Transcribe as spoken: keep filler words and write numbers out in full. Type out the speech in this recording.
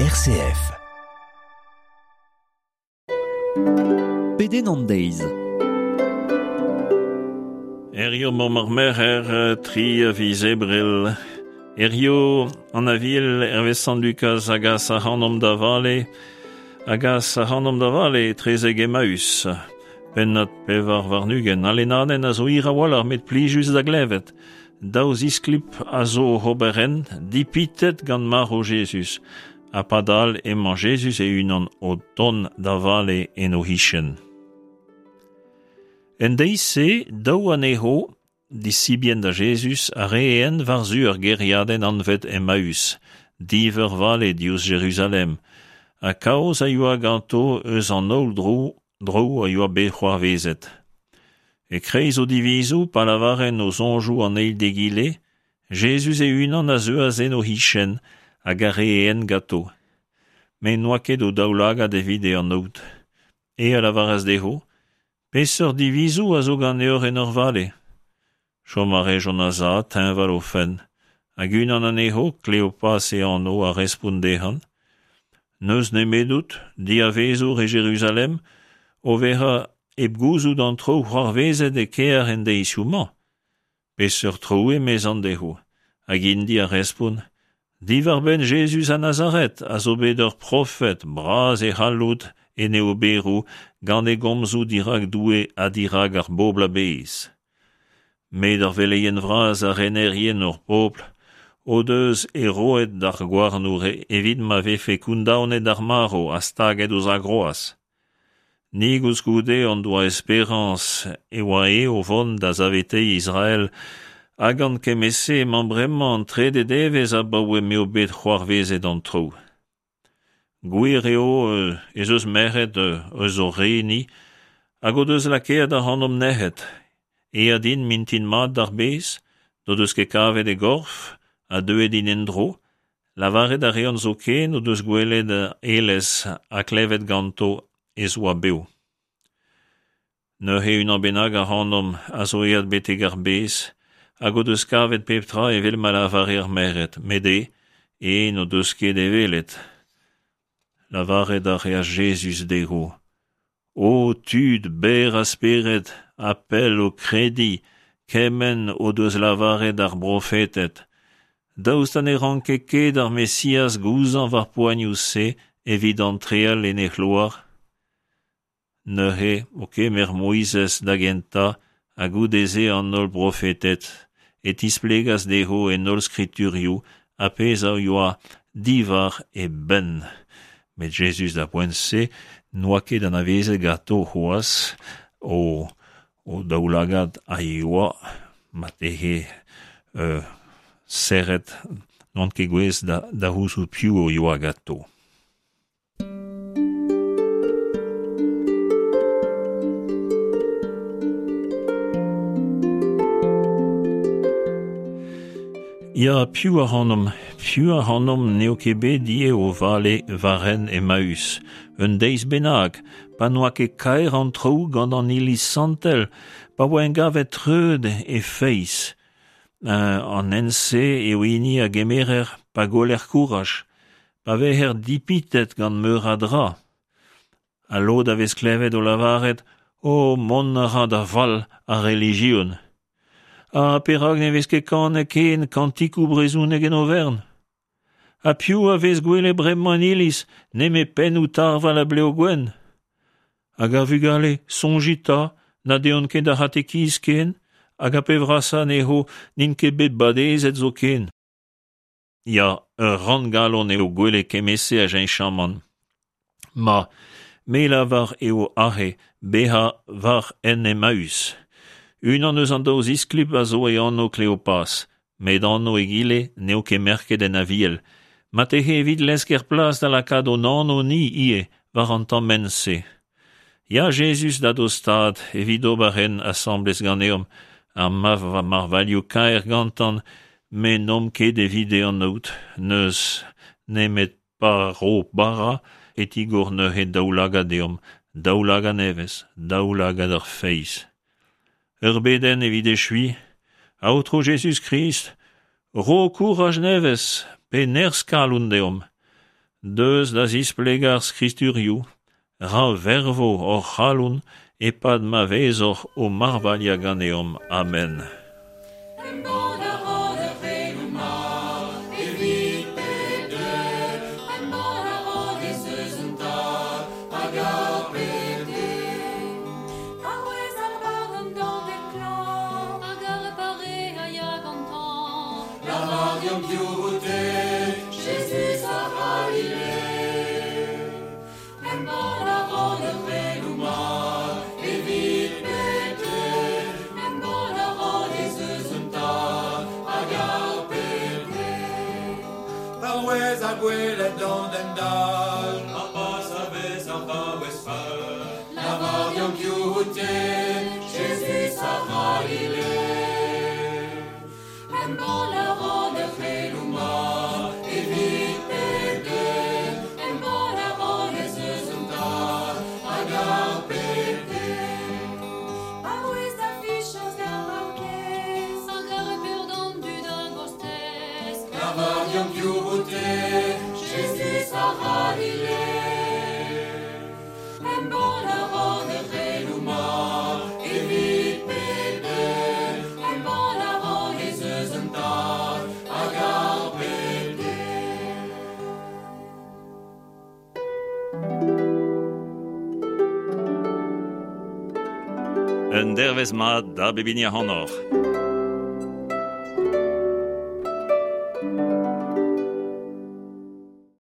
R C F. Pedenn an deiz. Herrio mamm ar merc'her, tri a viz Ebrel. Herrio an aviel hervez Sant Lukaz a gas ac'hanomp da vale, a gas ac'hanomp da vale etrezek Emmaüs. Pennad pevar warn-ugent, al lennadenn a zo hir a-walc'h met plijus da glevet. Daou zisklip a zo oc'h ober hent, dipitet gant marv Jezuz. Ha padal emañ Jezuz e-unan o tont da vale en o c'hichen. En deiz-se, daou anezho, disibien da Jezuz, a reent war-zu ur gêriadenn anvet Emmaüs, div eur vale diouzh Jeruzalem, ha kaoz a yoa ganto eus an holl dro, dro a yoa bet c'hoarvezet. E-kreiz o divizoù, pa lavarent o soñjoù an eil d'egile, Jezuz e-unan a zeuas en o c'hichen hag a ree hent ganto. Met n'oa ket o daoulagad evit e anaout. E a lavaras dezho, peseurt divizoù a zo ganeoc'h en ur vale? Chom a rejont a-sav, teñval o fenn. Hag unan anezho, Kleopas e anv, a respont dezhañ. N'eus nemedout, diavezour e Jeruzalem, o vezañ hep gouzout an traoù c'hoarvezet e kêr en deizioù-mañ. Peseurt traoù emezan dezho? Hag int-i a respont, diwar-benn Jezuz a Nazaret a zo bet ur profed bras e c'halloud en e oberoù gant e gomzoù dirak Doue ha dirak ar bobl a-bezh. Met ar veleien vras ha renerien hor pobl o deus e roet d'ar gouarnour evit ma vefe kondaonet d'ar marv ha staget ouzh ar groaz. Ni koulskoude hon doa esperañs e oa eo o vont da saveteiñ Israel, ha gant kement-se emañ bremañ an trede devezh abaoe m'eo bet c'hoarvezet an traoù. Gwir eo ez eus merc'hed eus hor re-ni hag o deus lakaet ac'hanomp nec'het. Aet int mintin mat d'ar bez, n'o deus ket kavet e gorf, ha deuet int en-dro. Lavaret a reont zoken o deus gwelet aelez ha klevet ganto ez oa bev. Neuze unan bennak ac'hanomp a zo aet betek ar bez, hag o deus kavet pep tra evel ma lavare ar merc'hed, met e, e n'o deus ket e welet. Lavaret a reas Jezuz dezho, O tud berr a spered ha pell o krediñ kement o deus lavaret ar brofeded, daoust ha ne ranke ket ar Mesiaz gouzañv ar poanioù-se evit antreal en e c'hloar? Neuze o kemer Moizez da gentañ ha goude-se an holl brofeded, e tisplegas dezho en holl skriturioù ar pezh a yoa diwar e benn. Met Jezuz da poent-se n'oa ket anavezet ganto c'hoazh o, o daoulagad a yoa marteze euh, serret n'oant ket gouest da, da c'houzout piv o yoa ganto. Ya, piv ac'hanomp, piv ac'hanomp n'eo ket bet ivez o vale war hent Emmaüs, un deiz bennak, pa n'oa ket kaer an traoù gant an iliz santel, pa oa engavet treud e feiz. Euh, an hent-se eo hini a gemerer pa goller kouraj, pa vezer dipitet gant meur a dra. Ha lod a vez klevet o lavaret, o mont a ra da fall ar relijion. Ha perak ne vez ket kanet ken kantikoù brezhonek en overn? Ha piv a vez gwelet bremañ en iliz, nemet pennoù tarval ha blev gwenn? Hag ar vugale, soñjit 'ta, na deont ket d'ar c'hatekiz ken, hag ar pep brasañ anezho n'int ket bet badezet zoken. Ya, ur ranngalon eo gwelet kement-se a cheñchamant. Ma, me lavar eo aze bezañ war hent Emmaüs. Unan eus an daou zisklip a zo e anv Kleopas, met anv egile n'eo ket merket en aviel. Marteze evit lesker plas da lakaat hon anv-ni ivez war an tamm hent-se. Ya Jezuz da dostaat evit ober hent asambles ganeomp, ha ma marvailhoù kaer gantan, met n'omp ket evit e anaout, n'eus nemet pa ro bara e tigor neuze daoulagad deomp, daoulagad nevez, daoulagad ar feiz. Ur bedenn evit echuiñ, Aotrou Jezuz-Krist, ro kouraj nevez pe nerzh kalon deomp. deus da zisplegañ ar skriturioù, ra vervo hor c'halon e-pad ma vezoc'h o marvailhañ ganeomp. Amen. Embann a ran ar c'heloù mat evit pep den. Embann a ran ez eus un Tad hag ar pep den. Paouez ar barn d'an den klañv, hag ar pare a ya gantañ. Lavar deomp piv out-te, Jezuz a C'halile. Embann a ran ar c'heloù mat evit pep den. Embann a ran ez eus un Tad hag ar pep den. Paouez ar gwelet d'an den dall, ar pas a vez ar vaouez fall. Lavar deomp piv out-te, Jezuz a C'halile. Embann a ran ar c'heloù mat evit pep den. Embann a ran ez eus un Tad hag ar pep den. Paouez da fichañs d'ar paourkaezh, Hag ar peur d'an dud a gostez. Lavar deomp piv out-te, Jezuz a C'halile. Embann a ran ar c'heloù mat evit pep den. Embann a ran ez eus un Tad hag ar pep den. Un dervezh mat da bep hini ac'hanoc'h.